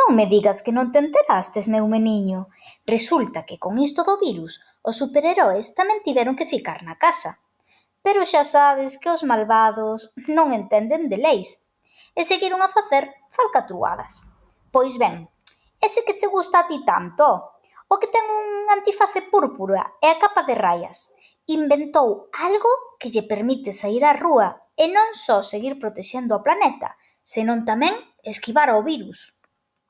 Non me digas que non te enterastes, meu meniño. Resulta que con isto do virus, os superheroes tamén tiveron que ficar na casa. Pero xa sabes que os malvados non entenden de leis e seguiron a facer falcatruadas. Pois ben, ese que che gusta a ti tanto, o que ten un antiface púrpura e a capa de raias, inventou algo que lle permite saír á rúa e non só seguir protexendo o planeta, senón tamén esquivar o virus.